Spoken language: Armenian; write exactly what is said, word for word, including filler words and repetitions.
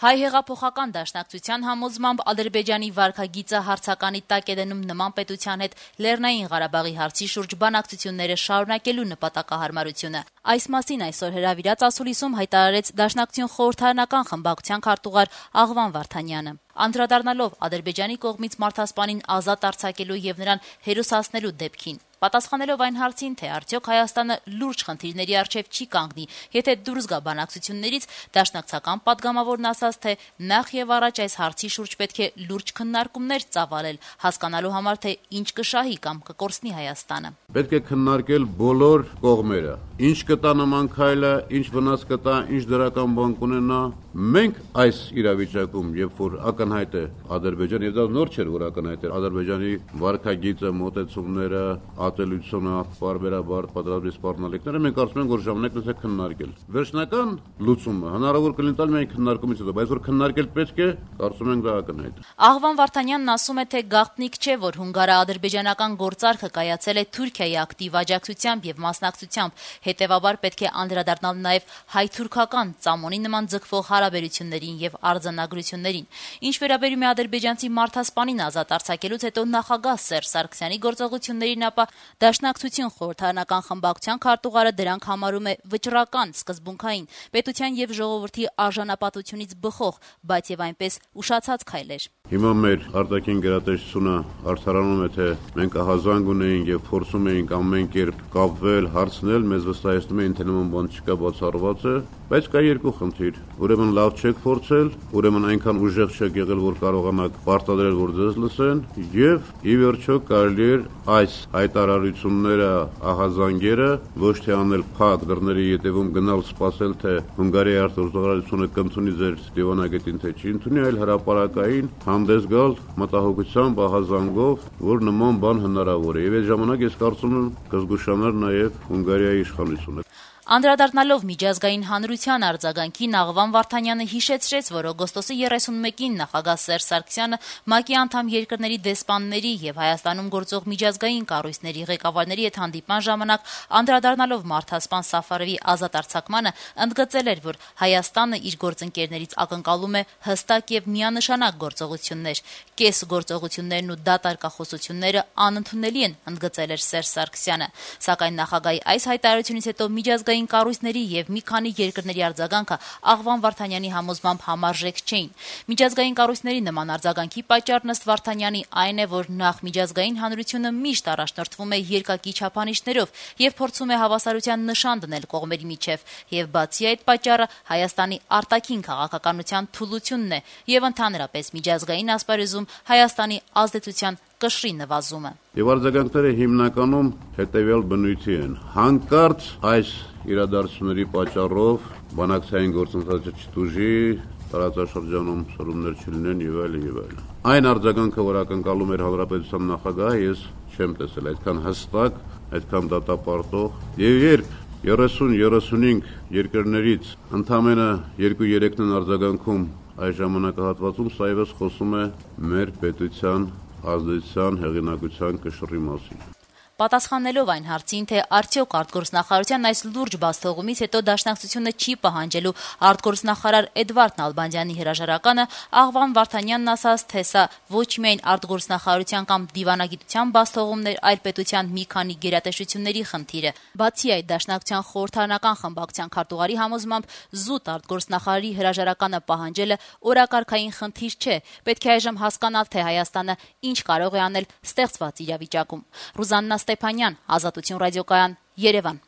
Հայ հեղափոխական դաշնակցության համոզմամբ Ադրբեջանի վարքագիծը հարցականի տակ է դնում նման պետության հետ Լեռնային Ղարաբաղի հարցի շուրջ բանակցությունները շարունակելու նպատակահարմարությունը։ Այս մասին այսօր հրավիրած ասուլիսում հայտարարեց Դաշնակցություն խորհրդարանական խմբակցության քարտուղար Աղվան Վարդանյանը։ Անդրադառնալով Ադրբեջանի կողմից մարդասպանին ազատ արձակելու եւ նրան հերոսացնելու դեպքին, պատասխանելով այն հարցին, թե արդյոք Հայաստանը լուրջ խնդիրների առջև չի կանգնի, եթե դուրս գա բանակցություններից, դաշնակցական падգամավորն ասաց, թե նախ եւ առաջ այս հարցի շուրջ պետք է լուրջ քննարկումներ ծավալել, հասկանալու համար, թե ինչ կշահի կամ կկորցնի Հայաստանը։ Պետք է քննարկել բոլոր կողմերը, ինչ կտա նման քայլը, ինչ վնաս կտա, ինչ դրական բան կունենա։ Մենք այս իրավիճակում, երբ որ ակնհայտ է Ադրբեջանը, եւ դա նոր չէր, որ ակնհայտ էր Ադրբեջանի վարքագիծը, մոտեցումները, ատելությունը, բարբերաբար պատրաստի սպառնալիքները, մենք կարծում ենք, որ ժամանակն է քննարկել։ Վերջնական լուծումը հնարավոր կլինի տալ միայն քննարկումից հետո, բայց որ քննարկել պետք է, կարծում ենք դա ակնհայտ է։ Աղվան Վարդանյանն ասում է, թե գաղտնիք չէ, որ հունգարա-ադրբեջանական գործարքը կայացել է Թուրքիայի ակտիվ աջակցությամբ եւ մասնակցությամբ, հետեւաբար պետք է անդրադառնալ նաեւ հայ-թուրքական ծամոնի նման ձգվող հարաբերություններին եւ արձանագրություններին։ Ինչ վերաբերում է ադրբեջանցի մարդասպանին ազատ արձակելուց հետո նախագահ Սերժ Սարգսյանի գործողություններին, ապա Դաշնակցություն խորհրդարանական խմբակցության քարտուղարը դրանք համարում է վճռական, սկզբունքային, պետության եւ ժողովրդի արժանապատությունից բխող, բայց եւ այնպես ուշացած քայլեր։ Հիմա մեր արտաքին գերատեսչությունը արդարանում է, թե մենք ահազանգ ունեինք եւ փորձում էինք ամեն կերպ կապվել, հարցնել, մեզ վստահեցնում էին, թե նման բան չկա, բացառված է, բայց կա երկու խնդիր։ Ուրեմն լավ չեք փորձել, ուրեմն այնքան ուժեղ չեք եղել, որ կարողանաք պարտադրել, որ ձեզ լսեն, եւ ի վերջո կարելի է այս հայտարարությունները, ահազանգերը ոչ թե անել փակ դռների ետևում գնալ սպասել, թե Հունգարիայի արտգործնախարարությունը կընդունի ձեր դիվանագետին, թե չի ընդունի, այլ հրապարակային հանդես գալ մտահոգությամբ, ահազանգով, որ նման բան հնարավոր է։ Եվ այդ ժամանակ ես կարծում եմ կզգուշանար նաեւ Հունգարիայի իշխանությունը։ Անդրադառնալով միջազգային հանրության արձագանքին, Աղվան Վարդանյանը հիշեցրեց, որ օգոստոսի երեսունմեկին նախագահ Սերժ Սարգսյանը ՄԱԿ-ի անդամ երկրների դեսպանների եւ Հայաստանում գործող միջազգային կառույցների ղեկավարների հետ հանդիպման ժամանակ անդրադառնալով մարդասպան Սաֆարովի ազատ արձակմանը, ընդգծել էր, որ Հայաստանը իր գործընկերներից ակնկալում է հստակ եւ միանշանակ գործողություններ։ Կես գործողություններն ու դատարկախոսությունները անընդունելի են, ընդգծել էր Սերժ Սարգսյանը։ Սակայն նախագահի այս հայտարարությունից հետո միջազգային կառույցների եւ մի քանի երկրների արձագանքը Աղվան Վարդանյանի համոզմամբ համարժեք չէին։ Միջազգային կառույցների նման արձագանքի պատճառն ըստ Վարդանյանի այն է, որ նախ միջազգային հանրությունը միշտ առաջնորդվում է երկակի չափանիշներով եւ փորձում է հավասարության նշան դնել կողմերի միջև, եւ բացի այդ պատճառը Հայաստանի արտաքին քաղաքականության թուլությունն է եւ ընդհանրապես միջազգային ասպարեզում Հայաստանի ազդեցության կշռի նվազումը։ Եվ արձագանքները հիմնականում հետևյալ բնույթի են. հանկարծ այս իրադարձությունների պատճառով բանակցային գործընթացը չտուժի, տարածաշրջանում սրումներ չլինեն եւ այլն եւ այլն։ Այն արձագանքը, որ ակնկալում էր հանրապետության նախագահը, ես չեմ տեսել այդքան հստակ, այդքան դատապարտող։ Եվ երբ երեսուն երեսունհինգ երկրներից ընդամենը երկու-երեքն են արձագանքում այս ժամանակահատվածում, սա եւս խոսում է մեր պետության ազդեցության հեղինակության կշռի մասին։ Պատասխանելով այն հարցին, թե արդյոք արտգործնախարարության այս լուրջ բացթողումից հետո Դաշնակցությունը չի պահանջելու արտգործնախարար Էդվարդ Նալբանդյանի հրաժարականը, Աղվան Վարդանյանն ասաց, թե սա ոչ միայն արտգործնախարարության կամ դիվանագիտության բացթողումն էր, այլ պետության մի քանի գերատեսչությունների խնդիր է։ Բացի այդ, Դաշնակցության խորհրդարանական խմբակցության քարտուղարի համոզմամբ զուտ արտգործնախարարի հրաժարականը պահանջելը օրակարգային խնդիր չէ։ Պետք է այժմ հասկանալ, թե Հայաստանը ինչ կարող է անել ստեղծված իրավիճակում։ Ռուզաննա Ստեփանյան, Ազատություն ռադիոկայան, Երևան։